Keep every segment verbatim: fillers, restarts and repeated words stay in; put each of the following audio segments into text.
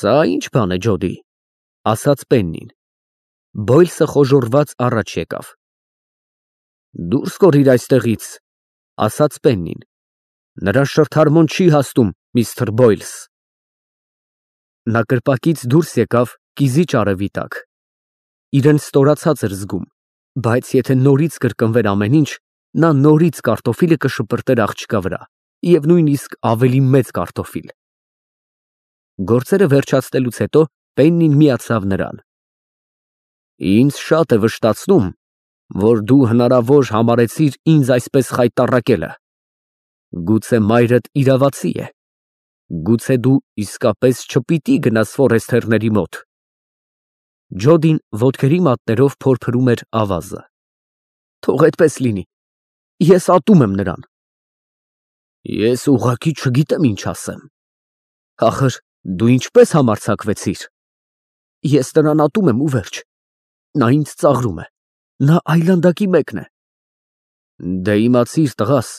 Սա ի՞նչ բան է, Ջոդի, ասաց Պեննին։ Բոյլսը խոժոռված առաջ եկավ։ Դուրս կորիր այստեղից, ասաց Պեննին։ Նրա շրթարմոն չի հասնում, միստր Բոյլս։ Նա կրպակից դուրս եկավ կիզիչ արևի տակ։ Իրեն ստորացած էր զգում, բայց եթե նորից կրկնվեր ամեն ինչ, նա նորից կարտոֆիլը կշպրտեր աղջկա վրա, և նույնիսկ ավելի մեծ կարտոֆիլ։ Գործերը վերջացնելուց հետո Պեննին միացավ նրան։ Ինձ շատ է վշտացնում, որ դու հնարավոր համարեցիր ինձ այսպես խայտառակելը։ Գուցե մայրդ իրավացի է։ Գուցե դու իսկապես չպիտի գնաս Ֆորեստերների մոտ։ Ջոդին ոտքերի մատներով փորփրում էր ավազը։ Թող այդպես լինի, ես ատում եմ նրան։ Ես ուղղակի չգիտեմ ինչ ասեմ։ Ախր դու ինչպես համարձակվեցիր։ Ես նրան ատում եմ ու վերջ։ Նա ինձ ծաղրում է։ Նա այլանդակի մեկն է։ Դե իմացիր, տղաս,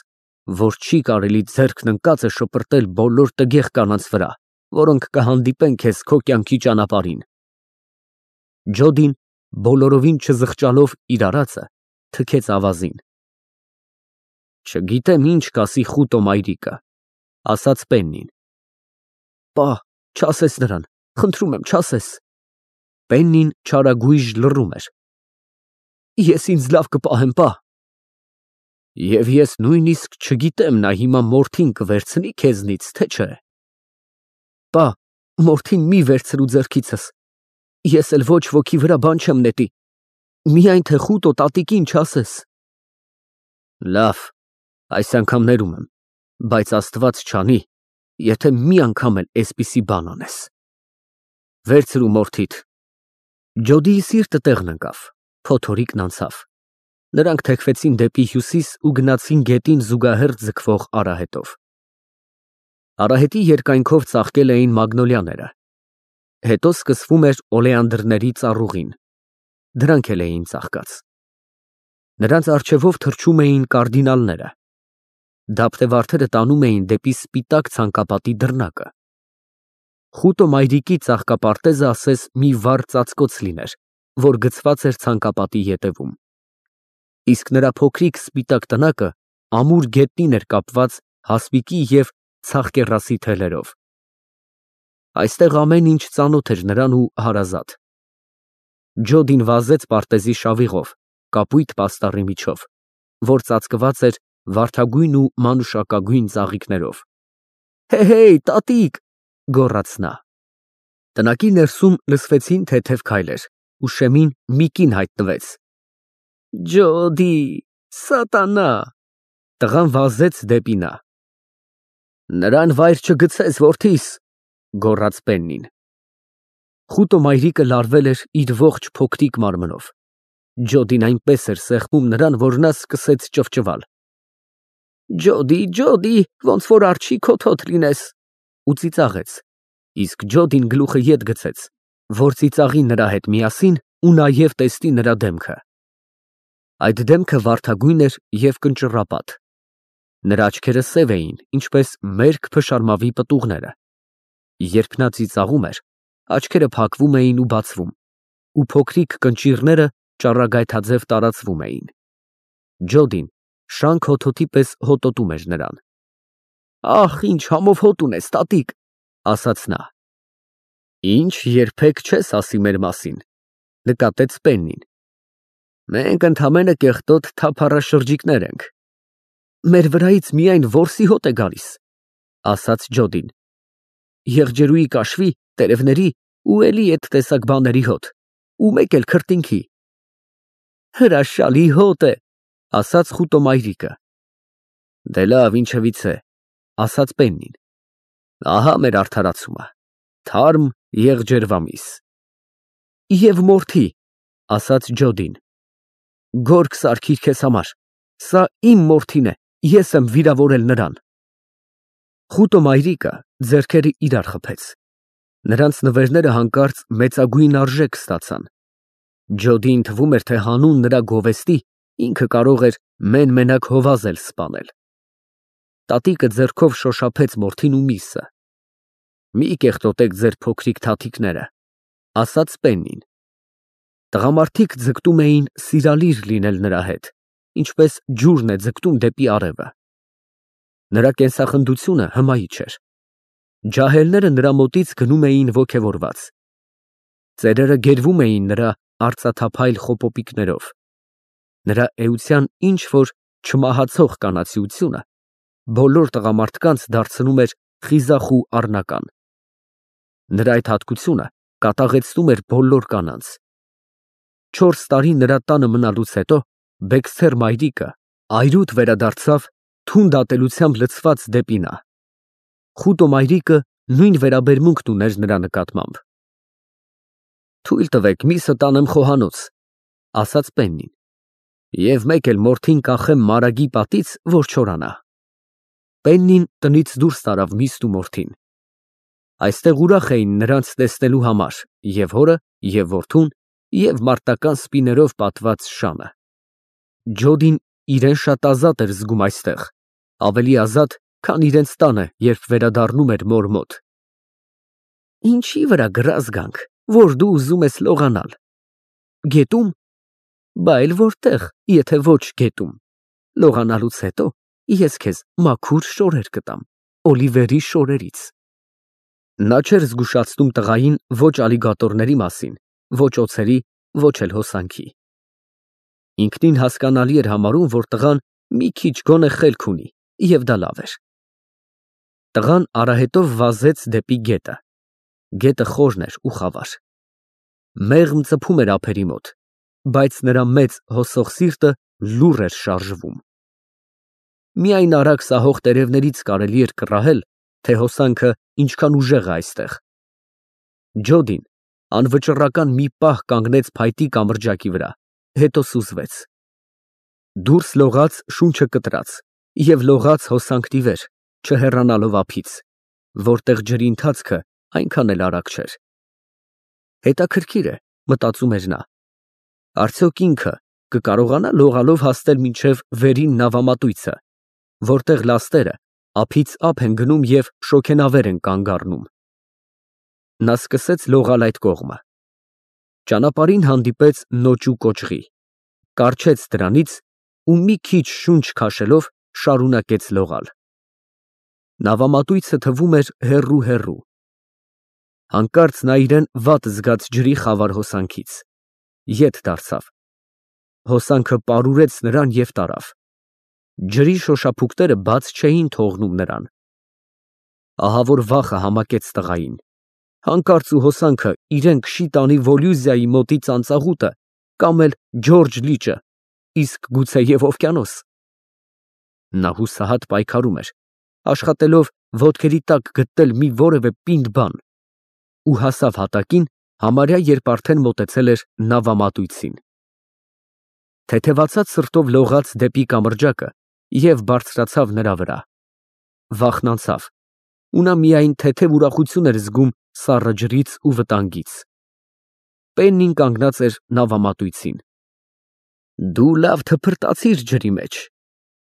որ չի կարելի ձեռքն ընկած է շպրտել բոլոր տգեղ կանանց վրա, որոնք կհանդիպեն քեզ քո կյանքի ճանապարհին։ Ջոդին, բոլորովին չզղջալով իր արածը, թքեց ավազին։ Չգիտեմ ինչ կասի խուտո մայրիկը, ասաց Պեննին։ Պա, չասես նրան, խնդրում եմ, չասես։ Պեննին չարագույժ լռում էր։ Ես ինձ լավ կպահեմ, պա։ Եվ ես նույնիսկ չգիտեմ նա հիմա մորթին կվերցնի քեզնից, թե չէ։ Պա, մորթին մի վերցրու ձեռքիցս։ Ես էլ ոչ ոքի վրա բան չեմ նետի։ Միայն թե խուտո տատիկին չասես։ Լավ, այս անգամ ներում եմ, բայց Աստված չանի, եթե մի անգամ էլ էսպիսի բան անես։ Վերցրու մորթիդ։ Ջոդիի սիրտը տեղն ընկավ, փոթորիկն անցավ։ Նրանք թեքվեցին դեպի հյուսիս ու գնացին գետին զուգահեռ ձգվող արահետով։ Արահետի երկայնքով ծաղկել էին մագնոլյաները։ Հետո սկսվում էր օլեանդրների ծառուղին։ Դրանք էլ էին ծաղկած։ Նրանց առջևով թռչում էին կարդինալները։ Դափտեվարդերը տանում էին դեպի սպիտակ ցանկապատի դռնակը։ Խուտո մայրիկի ծաղկապարտեզը ասես մի վառ ծածկոց լիներ, որ գցված էր ցանկապատի ետևում։ Իսկ նրա փոքրիկ սպիտակ տնակը ամուր գետնին էր կապված հասպիկի և ցաղկեռասի թելերով։ Այստեղ ամեն ինչ ծանոթ էր նրան ու հարազատ։ Ջոդին վազեց պարտեզի շավիղով, կապույտ պաստառի միջով, որ ծածկված էր վարդագույն ու մանուշակագույն ծաղիկներով։ Հե՛հեյ, տատիկ, գոռաց նա։ Տնակի ներսում լսվեցին թեթև քայլեր, ու շեմին մի կին հայտնվեց։ Ջոդի, սատանա։ Տղան վազեց դեպի նա։ Նրան վայր չգցես, որդիս, գոռաց Պեննին։ Խուտո մայրիկը լարվել էր իր ողջ փոքրիկ մարմնով։ Ջոդին այնպես էր սեղմում նրան, որ նա սկսեց ճվճվալ։ Ջոդի, Ջոդի, ոնց որ արջի քոթոթ լինես, ու ծիծաղեց, իսկ Ջոդին գլուխը ետ գցեց, որ ծիծաղի նրա հետ միասին ու նաև տեսնի նրա դեմքը։ Այդ դեմքը վարդագույն էր և կնճռապատ։ Նրա աչքերը սև էին, ինչպես մերկ փշարմավի պտուղները։ Երբ նա ծիծաղում էր, աչքերը փակվում էին ու բացվում, ու փոքրիկ կնճիռները ճառագայթաձև տարածվում էին։ Ջոդին շանք հոթոթի պես հոտոտում էր նրան։ Ախ, ինչ համով հոտ ունես, տատիկ, ասաց նա։ Ինչ երբեք չես ասի մեր մասին, նկատեց Պեննին։ Մենք ընդամենը կեղտոտ թափառաշրջիկներ ենք։ Մեր վրայից միայն որսի հոտ է գալիս, ասաց Ջոդին։ Եղջերուի կաշվի, տերևների ու էլի այդ տեսակ բաների հոտ, ու մեկ էլ քրտինքի։ Հրաշալի հոտ է, ասաց խուտո մայրիկը։ Դե լավ, ինչևից է, ասաց Պեննին։ Ահա մեր արդարացումը, թարմ եղջերվամիս։ Եվ մորթի, ասաց Ջոդին։ Գորգ սարքիր քեզ համար, սա իմ մորթին է, ես եմ վիրավորել նրան։ Խուտո մայրիկը ձեռքերը իրար խփեց։ Նրանց նվերները հանկարծ մեծագույն արժեք ստացան։ Ջոդիին թվում էր, թե հանուն նրա գովեստի ինքը կարող էր մեն֊մենակ հովազ էլ սպանել։ Տատիկը ձեռքով շոշափեց մորթին ու միսը։ Մի կեղտոտեք ձեր փոքրիկ թաթիկները, ասաց Պեննին։ Տղամարդիկ ձգտում էին սիրալիր լինել նրա հետ, ինչպես ջուրն է ձգտում դեպի արևը։ Նրա կենսախնդությունը հմայիչ էր։ Ջահելները նրա մոտից գնում էին ոգևորված։ Ծերերը գերվում էին նրա արծաթափայլ խոպոպիկներով։ Նրա էության ինչ որ չմահացող կանացիությունը բոլոր տղամարդկանց դարձնում էր խիզախ ու առնական։ Նրա այդ հատկությունը կատաղեցնում էր բոլոր կանանց։ Չորս տարի նրա տանը մնալուց հետո Բեքսթեր մայրիկը այրուտ վերադարձավ թունդ ատելությամբ լցված դեպի նա։ Խուտո մայրիկը նույն վերաբերմունքն ուներ նրա նկատմամբ։ Թույլ տվեք միսը տանեմ խոհանոց, ասաց Պեննին, և մեկ էլ մորթին կախեմ մարագի պատից, որ չորանա։ Պեննին տնից դուրս տարավ միսն ու մորթին։ Այստեղ ուրախ էին նրանց տեսնելու համար և հորը, և որդուն, և մարտական սպիներով պատված շանը։ Ջոդին իրեն շատ ազատ էր զգում այստեղ, ավելի ազատ, քան իրենց տանը, երբ վերադառնում էր մոր մոտ։ Ինչի վրա գրազ գանք, որ դու ուզում ես լողանալ։ Գետում։ Բա էլ որտեղ, եթե ոչ գետում։ Լողանալուց հետո ես քեզ մաքուր շորեր կտամ, Օլիվերի շորերից։ Նա չէր զգուշացնում տղային ոչ ալիգատորների մասին, ոչ օձերի, ոչ էլ հոսանքի։ Ինքնին հասկանալի էր համարում, որ տղան մի քիչ գոնե խելք ունի, և դա լավ էր։ Տղան արահետով վազեց դեպի գետը։ Գետը խորն էր ու խավար։ Մեղմ ծփում էր ափերի մոտ, բայց նրա մեծ հոսող սիրտը լուռ էր շարժվում։ Միայն արագ սահող տերևներից կարելի էր կռահել, թե հոսանքը ինչքան ուժեղ է այստեղ։ Ջոդին անվճռական մի պահ կանգնեց փայտի կամրջակի վրա, հետո սուզվեց։ Դուրս լողաց շունչը կտրած և լողաց հոսանքն ի վեր, չհեռանալով ափից, որտեղ ջրի ընթացքը այնքան էլ արագ չէր։ Հետաքրքիր է, մտածում էր նա, արդյոք ինքը կկարողանա լողալով հասնել մինչև վերին նավամատույցը, որտեղ լաստերը ափից ափ են գնում և շոգենավեր են կանգ առնում։ Նա սկսեց լողալ այդ կողմը։ Ճանապարհին հանդիպեց նոճու կոճղի, կառչեց դրանից ու մի քիչ շունչ քաշելով շարունակեց լողալ։ Նավամատույցը թվում էր հեռու֊հեռու։ Հանկարծ նա իրեն վատ զգաց ջրի խավար հոսանքից, ետ դարձավ։ Հոսանքը պարուրեց նրան և տարավ։ Ջրի շոշափուկները բաց չէին թողնում նրան։ Ահավոր վախը համակեց տղային։ Հանկարծ ու հոսանքը իրեն քշի տանի Վոլյուզիայի մոտի ծանծաղուտը կամ էլ Ջորջ լիճը, իսկ գուցե և օվկիանոս։ Նա հուսահատ պայքարում էր, աշխատելով ոտքերի տակ գտնել մի որևէ պինդ բան, ու հասավ հատակին, համարյա երբ արդեն մոտեցել էր նավամատույցին։ Թեթևացած սրտով լողաց դեպի կամրջակը և բարձրացավ նրա վրա։ Վախն անցավ, ու նա միայն թեթև ուրախություն էր զգում սառը ջրից ու վտանգից։ Պեննին կանգնած էր նավամատույցին։ Դու լավ թփրտացիր ջրի մեջ,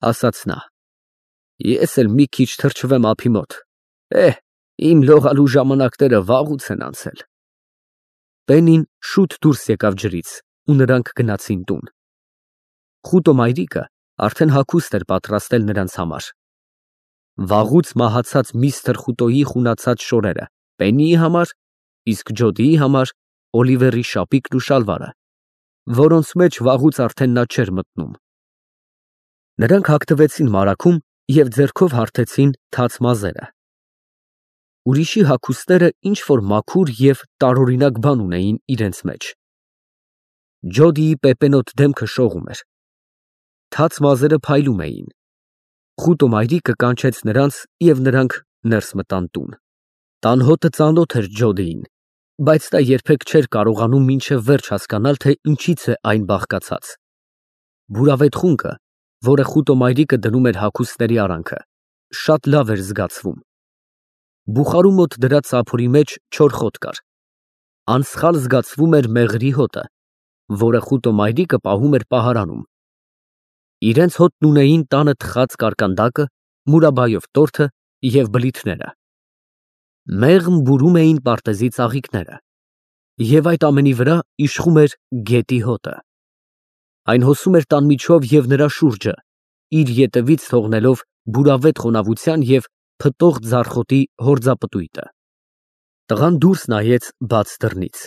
ասաց նա։ Ես էլ մի քիչ թրջվեմ ափի մոտ։ Էհ, իմ լողալու ժամանակները վաղուց են անցել։ Պեննին շուտ դուրս եկավ ջրից, ու նրանք գնացին տուն։ Խուտո մայրիկը արդեն հագուստ էր պատրաստել նրանց համար։ Վաղուց մահացած միստր Խուտոյի խունացած շորերը Պեննիի համար, իսկ Ջոդիի համար Օլիվերի շապիկն ու շալվարը, որոնց մեջ վաղուց արդեն նա չէր մտնում։ Նրանք հագնվեցին մարագում և ձեռքով հարթեցին թաց մազերը։ Ուրիշի հագուստները ինչ֊որ մաքուր և տարօրինակ բան ունեին իրենց մեջ։ Ջոդիի պեպենոտ դեմքը շողում էր։ Թաց մազերը փայլում էին։ Խուտո մայրիկը կանչեց նրանց, և նրանք ներս մտան տուն։ Տան հոտը ծանոթ էր Ջոդիին, բայց նա երբեք չէր կարողանում մինչև վերջ հասկանալ, թե ինչից է այն բաղկացած։ Բուրավետ խունկը, որը Խուտո մայրիկը դնում էր հագուստների արանքը, շատ լավ էր զգացվում։ Բուխարու մոտ դրած սափորի մեջ չոր խոտ կար։ Անսխալ զգացվում էր մեղրի հոտը, որը Խուտո մայրիկը պահում էր պահարանում։ Իրենց հոտն ունեին տանը թխած կարկանդակը, մուրաբայով տորթը և բլիթները։ Մեղմ բուրում էին պարտեզի ծաղիկները, և այդ ամենի վրա իշխում էր գետի հոտը։ Այն հոսում էր տան միջով և նրա շուրջը, իր ետևից թողնելով բուրավետ խոնավության և փտող ձարխոտի հորձապտույտը։ Տղան դուրս նայեց բաց դռնից։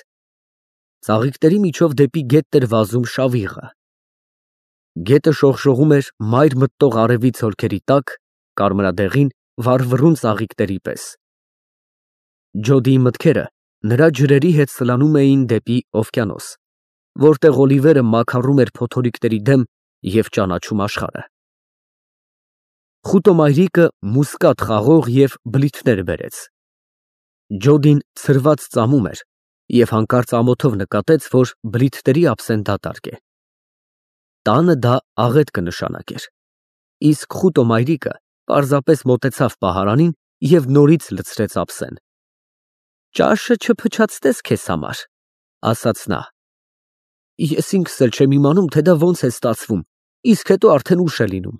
Ծաղիկների միջով դեպի գետն էր վազում շավիղը։ Գետը շողշողում էր մայր մտնող արևի ցոլքերի տակ, կարմրադեղին, վառվռուն ծաղիկների պես։ Ջոդիի մտքերը նրա ջրերի հետ սլանում էին դեպի օվկիանոս, որտեղ Օլիվերը մաքարում էր փոթորիկների դեմ և ճանաչում աշխարհը։ Խուտո մայրիկը մուսկատ խաղող և բլիթներ բերեց։ Ջոդին ցրված ծամում էր և հանկարծ ամոթով նկատեց, որ բլիթների ափսեն դատարկ է։ Տանը դա աղետ կնշանակեր, իսկ խուտո մայրիկը պարզապես մոտեցավ պահարանին և նորից լցրեց ափսեն։ «Ճաշը չփչացնես քեզ համար», ասաց նա։ «Ես ինքս էլ չեմ իմանում, թե դա ոնց է ստացվում, իսկ հետո արդեն ուշ է լինում»։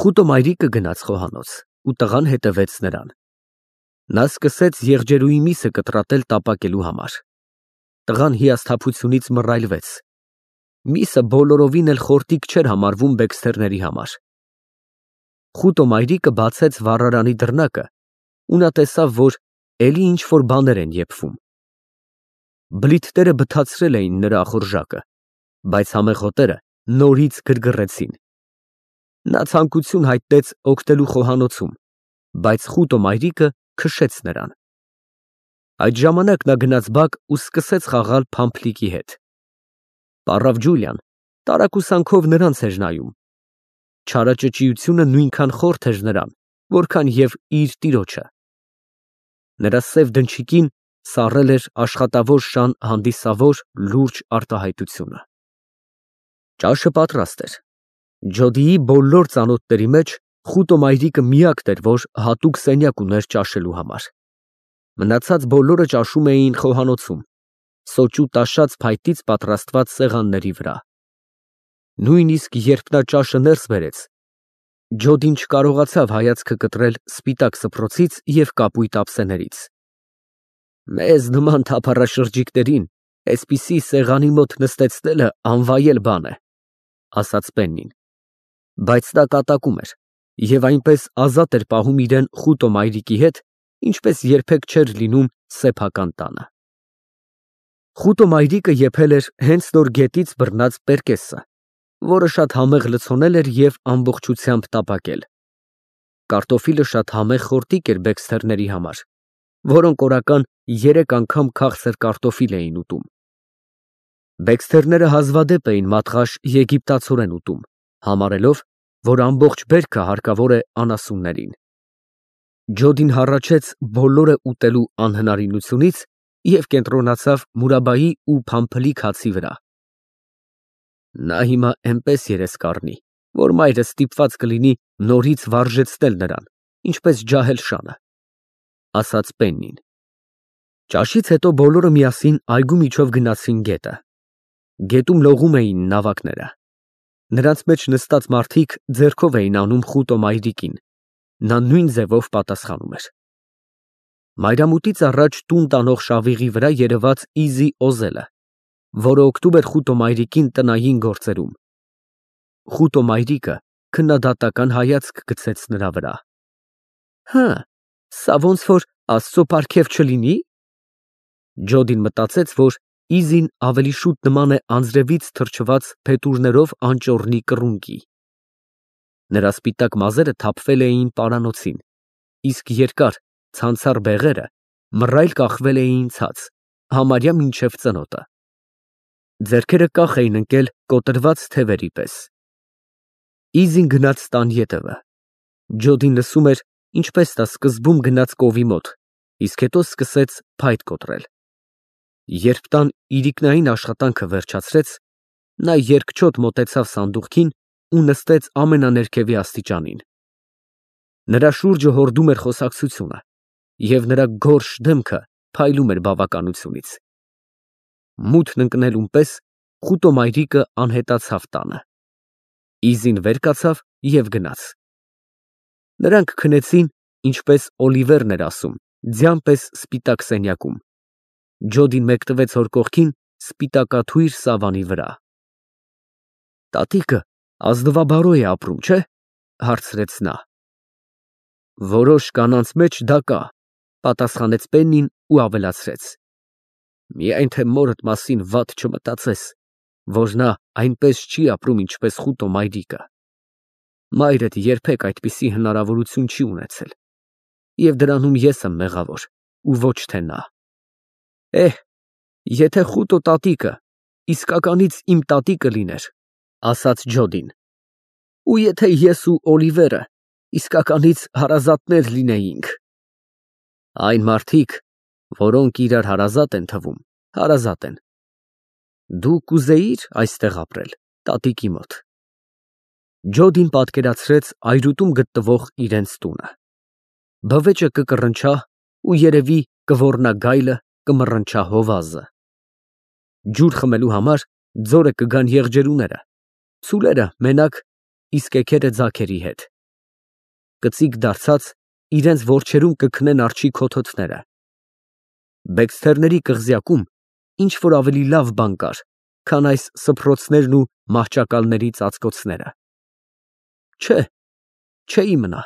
Խուտո մայրիկը գնաց խոհանոց, ու տղան հետևեց նրան։ Նա սկսեց եղջերուի միսը կտրատել տապակելու համար։ Տղան հիասթափությունից մռայլվեց։ Միսը բոլորովին էլ խորտիկ չէր համարվում Բեքսթերների համար։ Խուտո մայրիկը բացեց վառարանի դռնակը, ու նա տեսավ, որ էլի ինչ֊որ բաներ են եփվում։ Բլիթները բթացրել էին նրա ախորժակը, բայց համեղ հոտերը նորից գրգռեցին։ Նա ցանկություն հայտնեց օգնելու խոհանոցում, բայց խուտո մայրիկը քշեց նրան։ Այդ ժամանակ նա գնաց բակ ու սկսեց խաղալ փամփլիկի հետ։ Պառավ Ջուլիան տարակուսանքով նրանց էր նայում։ Չարաճճիությունը նույնքան խորթ էր նրան, որքան և իր տիրոջը։ Նրա սև դնչիկին սառել էր աշխատավոր շան հանդիսավոր լուրջ արտահայտությունը։ Ճաշը պատրաստ էր։ Ջոդիի բոլոր ծանոթների մեջ խուտո մայրիկը միակն էր, որ հատուկ սենյակ ուներ ճաշելու համար։ Մնացած բոլորը ճաշում էին խոհանոցում, սոճու տաշած փայտից պատրաստված սեղանների վրա։ Նույնիսկ երբ նա ճաշը ներս բերեց, Ջոդին չկարողացավ հայացքը կտրել սպիտակ սփռոցից և կապույտ ափսեներից։ «Մեզ նման թափառաշրջիկներին էսպիսի սեղանի մոտ նստեցնելը անվայել բան է», ասաց Պեննին։ Բայց նա կատակում էր և այնպես ազատ էր պահում իրան խուտո մայրիկի հետ, ինչպես երբեք չէր լինում սեփական տանը։ Խուտո մայրիկը եփել էր հենց նոր գետից բռնած պերկեսը, որը շատ համեղ լցոնել էր և ամբողջությամբ տապակել։ Կարտոֆիլը շատ համեղ խորտիկ էր Բեքսթերների համար, որոնք օրական երեք անգամ քաղցր կարտոֆիլ էին ուտում։ Բեքսթերները հազվադեպ էին մատղաշ եգիպտացորեն ուտում, համարելով, որ ամբողջ բերքը հարկավոր է անասուններին։ Ջոդին հառաչեց բոլորը ուտելու անհնարինությունից և կենտրոնացավ մուրաբայի ու փամփլիկ հացի վրա։ Նա հիմա էնպես երես կառնի, որ մայրը ստիպված կլինի նորից վարժեցնել նրան, ինչպես ջահել շանը, ասաց Պեննին։ Ճաշից հետո բոլորը միասին այգու միջով գնացին գետը։ Գետում լողում էին նավակները։ Նրանց մեջ նստած մարդիկ ձեռքով էին անում խուտո մայրիկին, նա նույն ձևով պատասխանում էր։ Մայրամուտից առաջ տուն տանող շավիղի վրա երևաց Իզի Օզելը, որը օգնում էր խուտո մայրիկին տնային գործերում։ Խուտո մայրիկը քննադատական հայացք գցեց նրա վրա։ Հը, սա ոնց որ Աստծո պարգև չլինի։ Ջոդին մտածեց, որ Իզին ավելի շուտ նման է անձրևից թրջված փետուրներով անճոռնի կռունկի։ Նրա սպիտակ մազերը թափվել էին պարանոցին, իսկ երկար, ցանցառ բեղերը մռայլ կախվել էին ցած, համարյա մինչև ծնոտը։ Ձեռքերը կախ էին ընկել կոտրված թևերի պես։ Իզին գնաց տան ետևը։ Ջոդին լսում էր, ինչպես նա սկզբում գնաց կովի մոտ, իսկ հետո սկսեց փայտ կոտրել։ Երբ տան իրիկնային աշխատանքը վերջացրեց, նա երկչոտ մոտեցավ սանդուղքին ու նստեց ամենաներկևի աստիճանին։ Նրա շուրջը հորդում էր խոսակցությունը, և նրա գորշ դեմքը փայլում էր բավականությունից։ Մութն ընկնելուն պես խուտո մայրիկը անհետացավ տանը։ Իզին վեր կացավ և գնաց։ Նրանք քնեցին, ինչպես Օլիվերն էր ասում, ձյան պես սպիտակ սենյակում։ Ջոդին մեկնվեց հոր կողքին սպիտակաթույր սավանի վրա։ Տատիկը ազնվաբարո է ապրում, չէ՞, հարցրեց նա։ Որոշ կանանց մեջ դա կա, պատասխանեց Պեննին ու ավելացրեց. Միայն թե մորդ մասին վատ չմտածես, որ նա այնպես չի ապրում, ինչպես խուտո մայրիկը։ Մայրդ երբեք այդպիսի հնարավորություն չի ունեցել, և դրանում ես եմ մեղավոր, ու ոչ թե նա։ Էհ, եթե խուտո տատիկը իսկականից իմ տատիկը լիներ, ասաց Ջոդին, ու եթե ես ու Օլիվերը իսկականից հարազատներ լինեինք։ Այն մարդիկ, որոնք իրար հարազատ են թվում, հարազատ են։ Դու կուզեիր այստեղ ապրել, տատիկի մոտ։ Ջոդին պատկերացրեց այրուտում գտնվող իրենց տունը։ Բվեճը կկռնչա ու երևի կոռնա գայլը, կմռնչա հովազը։ Ջուր խմելու համար ձորը կգան եղջերուները, ցուլերը մենակ, իսկ էգերը ձագերի հետ։ Կծիկ դարձած իրենց որջերում կքնեն արջի քոթոթները։ Բեքսթերների կղզյակում ինչ որ ավելի լավ բան կար, քան այս սփռոցներն ու մահճակալների ծածկոցները։ Չէ, չէի մնա։